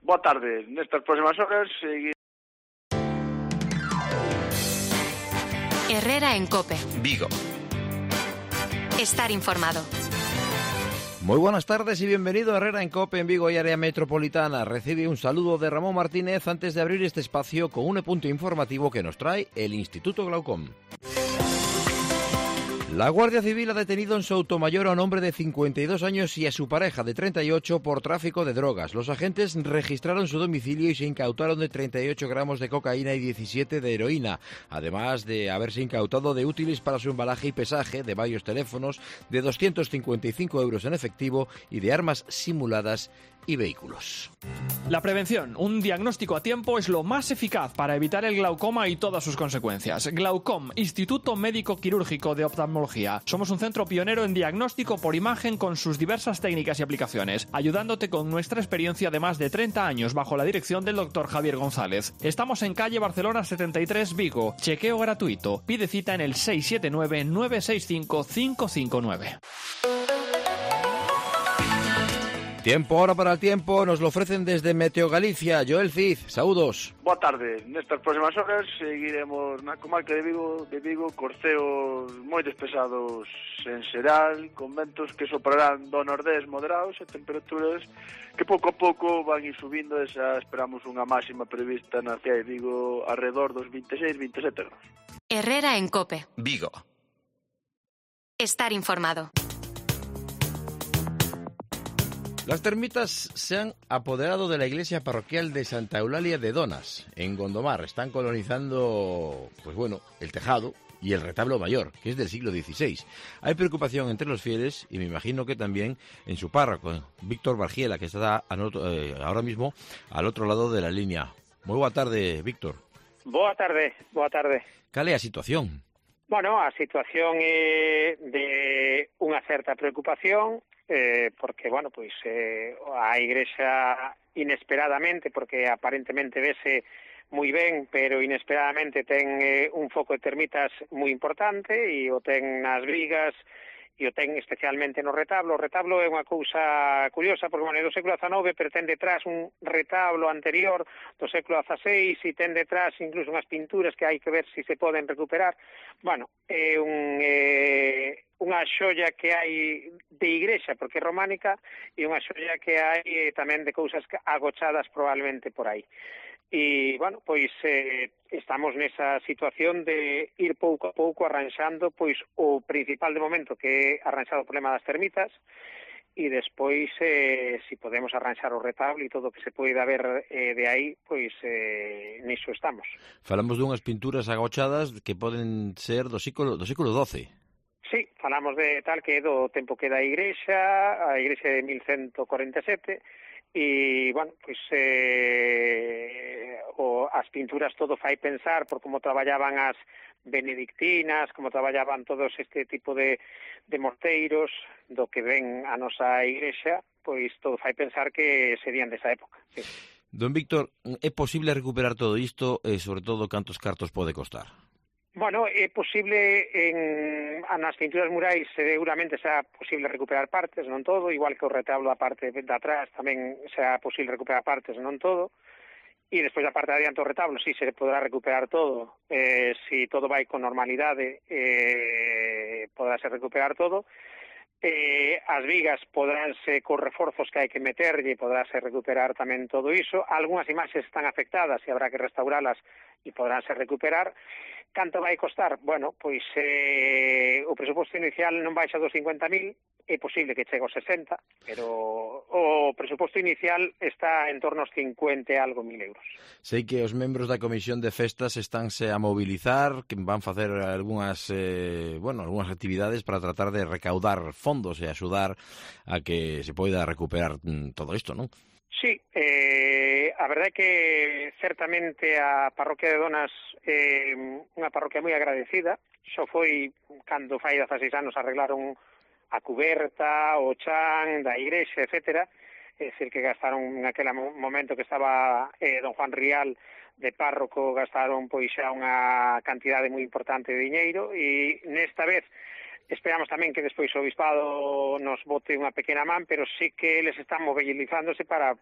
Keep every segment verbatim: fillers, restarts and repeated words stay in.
Boa tarde. Nestas próximas horas seguir... Herrera en COPE. Vigo. Estar informado. Muy buenas tardes y bienvenido a Herrera en COPE en Vigo y área metropolitana. Recibe un saludo de Ramón Martínez antes de abrir este espacio con un punto informativo que nos trae el Instituto Glaucom. La Guardia Civil ha detenido en Soutomayor a un hombre de cincuenta y dos años y a su pareja de treinta y ocho por tráfico de drogas. Los agentes registraron su domicilio y se incautaron de treinta y ocho gramos de cocaína y diecisiete de heroína, además de haberse incautado de útiles para su embalaje y pesaje, de varios teléfonos, de doscientos cincuenta y cinco euros en efectivo y de armas simuladas y vehículos. La prevención, un diagnóstico a tiempo, es lo más eficaz para evitar el glaucoma y todas sus consecuencias. Glaucom, Instituto Médico Quirúrgico de Oftalmología. Somos un centro pionero en diagnóstico por imagen con sus diversas técnicas y aplicaciones, ayudándote con nuestra experiencia de más de treinta años bajo la dirección del doctor Javier González. Estamos en calle Barcelona setenta y tres, Vigo. Chequeo gratuito. Pide cita en el seis siete nueve, nueve seis cinco, cinco cinco nueve. Tiempo ahora para el tiempo, nos lo ofrecen desde Meteo Galicia. Joel Cid, saúdos. Boa tarde. Nestas próximas horas seguiremos na comarca de Vigo, de Vigo, corceos moi despesados en xeral, con ventos que soprarán do nordés moderados e temperaturas que pouco a pouco van ir subindo e xa esperamos unha máxima prevista na cidade de Vigo alrededor dos vinte e seis, vinte e sete grados. Herrera en COPE. Vigo. Estar informado. Las termitas se han apoderado de la iglesia parroquial de Santa Eulalia de Donas, en Gondomar. Están colonizando, pues bueno, el tejado y el retablo mayor, que es del siglo dieciséis. Hay preocupación entre los fieles y me imagino que también en su párroco, Víctor Bargiela, que está eh, ahora mismo al otro lado de la línea. Muy boa tarde, Víctor. Boa tarde, boa tarde. Cal é a situación? Bueno, a situación é de unha certa preocupación, eh, porque, bueno, pois eh, a Igrexa inesperadamente, porque aparentemente vese moi ben, pero inesperadamente ten eh, un foco de termitas moi importante e o ten nas vigas e o ten especialmente no retablo. O retablo é unha cousa curiosa, porque, bueno, é do século dezanove, pero ten detrás un retablo anterior do século dezaseis e ten detrás incluso unhas pinturas que hai que ver se si se poden recuperar. Bueno, é un, eh, unha xoia que hai de igrexa, porque é románica, e unha xoia que hai eh, tamén de cousas agochadas probablemente por aí. E, bueno, pois eh, estamos nesa situación de ir pouco a pouco arranxando pois o principal de momento, que é arranxar o problema das termitas, e despois, eh, si podemos arranxar o retablo e todo o que se poida ver eh, de aí, pois eh, niso estamos. Falamos dunhas pinturas agochadas que poden ser do século, do século doce. Sí, falamos de tal que é do tempo que da Igrexa, a Igrexa de mil ciento cuarenta e sete, e, bueno, pois eh, o, as pinturas todo fai pensar por como traballaban as benedictinas, como traballaban todos este tipo de, de mosteiros do que ven a nosa Igrexa, pois todo fai pensar que serían desa época, sí. Don Víctor, é posible recuperar todo isto e, sobre todo, cantos cartos pode costar? Bueno, é posible en nas pinturas murais seguramente sea posible recuperar partes, non todo, igual que o retablo da parte de atrás tamén sea posible recuperar partes, non todo, e despois da parte de adiante do retablo sí se podrá recuperar todo, eh, si todo vai con normalidade eh, podrá ser recuperar todo. Eh, as vigas podránse cos reforzos que hai que meterlle, podránse recuperar tamén todo iso. Algúnas imaxes están afectadas e habrá que restauralas e podránse recuperar. Canto vai costar? Bueno, pois eh, o presuposto inicial non baixa dos cincuenta mil, é posible que chegue aos sesenta, pero o presuposto inicial está en torno aos cincuenta e algo mil euros. Sei que os membros da Comisión de Festas estánse a mobilizar, que van facer algunhas, eh, bueno, algunhas actividades para tratar de recaudar fondos e axudar a que se poida recuperar todo isto, non? Sí, eh, a verdade é que certamente a parroquia de Donas é eh, unha parroquia moi agradecida. Xo foi cando fai dezaseis anos arreglaron a cuberta, o chan da igrexa, etcétera. É dicir, que gastaron naquele momento que estaba eh, don Juan Rial de párroco, gastaron pois xa unha cantidade moi importante de diñeiro, e nesta vez esperamos tamén que despois o Obispado nos bote unha pequena man, pero sí que eles están mobilizándose para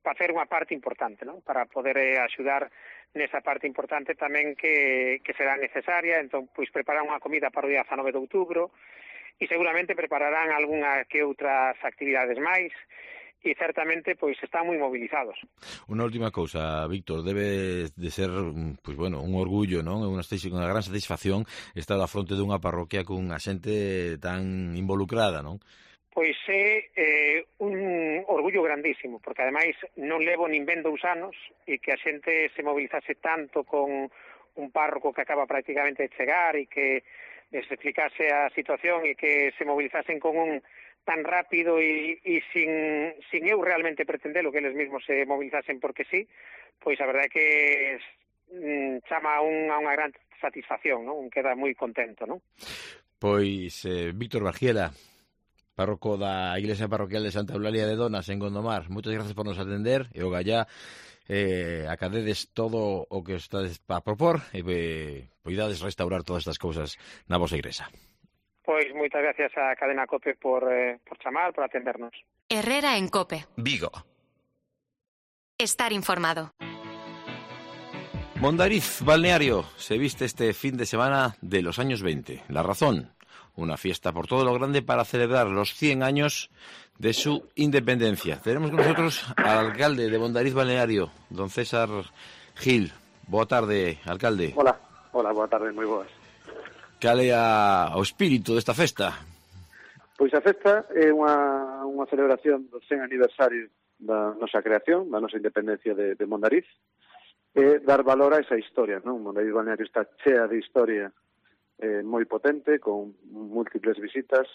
facer unha parte importante, non? Para poder eh, axudar nesa parte importante tamén que, que será necesaria. Entón, pois preparar unha comida para o día dezanove de outubro e seguramente prepararán algunha que outras actividades máis. E certamente pois están moi movilizados. Unha última cousa, Víctor, debe de ser pois bueno, un orgullo, non? Unha, unha gran satisfacción estar á fronte dunha parroquia cunha xente tan involucrada, non? Pois é eh, un orgullo grandísimo, porque ademais non levo nin ben dous anos e que a xente se movilizase tanto con un párroco que acaba prácticamente de chegar e que les explicase a situación e que se movilizasen con un tan rápido e, e sin, sin eu realmente pretendelo que eles mesmos se movilizasen porque sí, pois a verdade é que mm, chama un, a unha gran satisfacción, non? Queda moi contento, non? Pois eh, Víctor Bargiela, párroco da Iglesia Parroquial de Santa Eulalia de Donas en Gondomar, moitas gracias por nos atender e o gallá eh, acadedes todo o que estades a propor e eh, poidades restaurar todas estas cousas na vosa igrexa. Pois moitas gracias a Cadena COPE por, eh, por chamar, por atendernos. Herrera en COPE. Vigo. Estar informado. Mondariz Balneario se viste este fin de semana de los años veinte. La razón, una fiesta por todo lo grande para celebrar los cien años de su independencia. Tenemos con nosotros al alcalde de Mondariz Balneario, don César Gil. Boa tarde, alcalde. Hola, hola, boa tarde, moi boas. Cal é a, o espírito desta festa? Pois a festa é unha, unha celebración do cen aniversario da nosa creación, da nosa independencia de, de Mondariz, e dar valor a esa historia, non? Mondariz Balneario está chea de historia eh, moi potente, con múltiples visitas,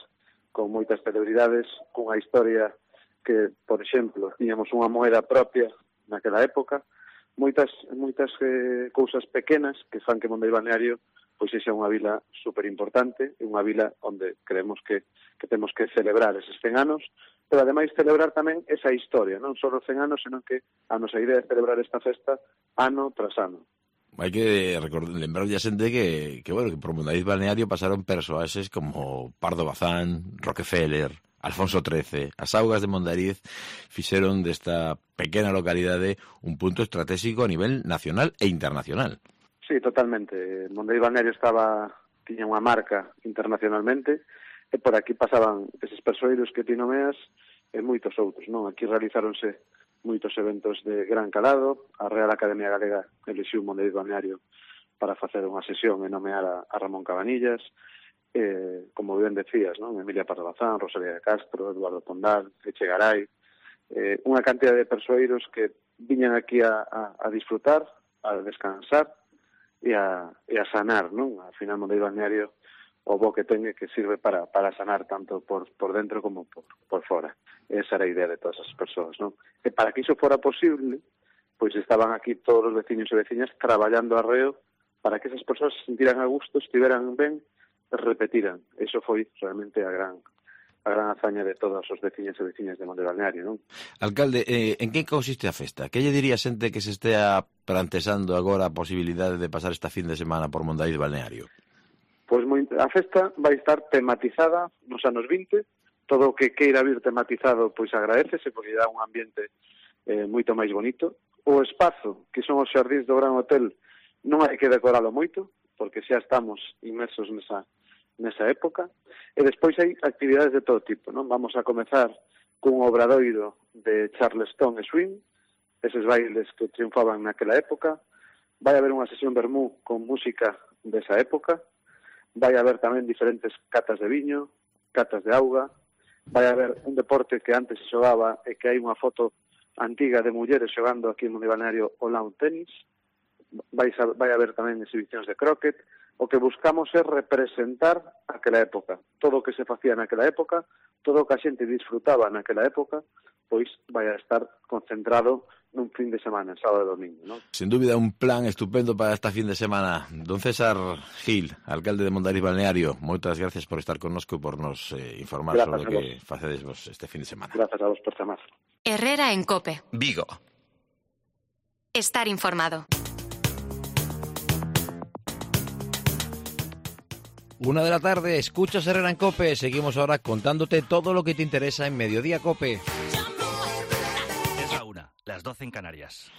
con moitas celebridades, cunha historia que, por exemplo, tiñamos unha moeda propia naquela época, moitas moitas eh, cousas pequenas que fan que Mondariz Balneario pois é unha vila super importante, unha vila onde creemos que, que temos que celebrar eses cen anos, pero ademais celebrar tamén esa historia, non só os cen anos, senón que a nosa idea é celebrar esta festa ano tras ano. Hai que recordar, lembrar a xente que, que, bueno, que por Mondariz Balneario pasaron persoaxes como Pardo Bazán, Rockefeller, Alfonso trece. As augas de Mondariz fixeron desta pequena localidade un punto estratégico a nivel nacional e internacional. Sí, totalmente. Mondariz Balneario estaba, tiña unha marca internacionalmente e por aquí pasaban eses persoeiros que ti nomeas e moitos outros, non? Aquí realizáronse moitos eventos de gran calado. A Real Academia Galega elixiu Mondariz Balneario para facer unha sesión e nomear a, a Ramón Cabanillas, eh, como ben decías, non? Emilia Pardo Bazán, Rosalía de Castro, Eduardo Pondal, Echegaray, eh, unha cantidad de persoeiros que viñan aquí a, a, a disfrutar, a descansar e a, e a sanar, non? Al final, Mondariz Balneario, o bo que ten que sirve para, para sanar tanto por, por dentro como por, por fora. Esa era a idea de todas as persoas, non? E para que iso fora posible, pois estaban aquí todos os veciños e veciñas traballando arreo para que esas persoas se sentiran a gusto, estiveran ben, e repetiran. Eso foi realmente a gran a gran hazaña de todos os veciños e veciñas de Mondariz Balneario, non? Alcalde, eh, en que consiste a festa? Que lle diría a xente que se estea plantexando agora a posibilidade de pasar esta fin de semana por Mondariz Balneario? Pois moi, a festa vai estar tematizada nos anos vinte, todo o que queira vir tematizado pois agradecese, porque dá un ambiente eh, moito máis bonito. O espazo, que son os xardíns do Gran Hotel, non hai que decoralo moito, porque xa estamos inmersos nesa nesa época, e despois hai actividades de todo tipo, non? Vamos a comezar cun obradoiro de Charleston e Swing, eses bailes que triunfaban naquela época. Vai haber unha sesión vermú con música desa época, vai haber tamén diferentes catas de viño, catas de auga, vai haber un deporte que antes se xogaba e que hai unha foto antiga de mulleres xogando aquí en Mondariz Balneario o lawn tenis, vai, vai haber tamén exhibicións de croquet. O que buscamos é representar aquela época. Todo o que se facía naquela época, todo o que a xente disfrutaba naquela época, pois vai a estar concentrado nun fin de semana, sábado e domingo, non? Sin dúbida un plan estupendo para esta fin de semana. Don César Gil, alcalde de Mondariz Balneario, moitas gracias por estar connosco e por nos eh, informar gracias sobre o que facedes vos este fin de semana. Gracias a vos por chamar. Herrera en COPE. Vigo. Estar informado. Una de la tarde, escuchas Herrera en COPE. Seguimos ahora contándote todo lo que te interesa en Mediodía COPE. Es la una. La las doce en Canarias.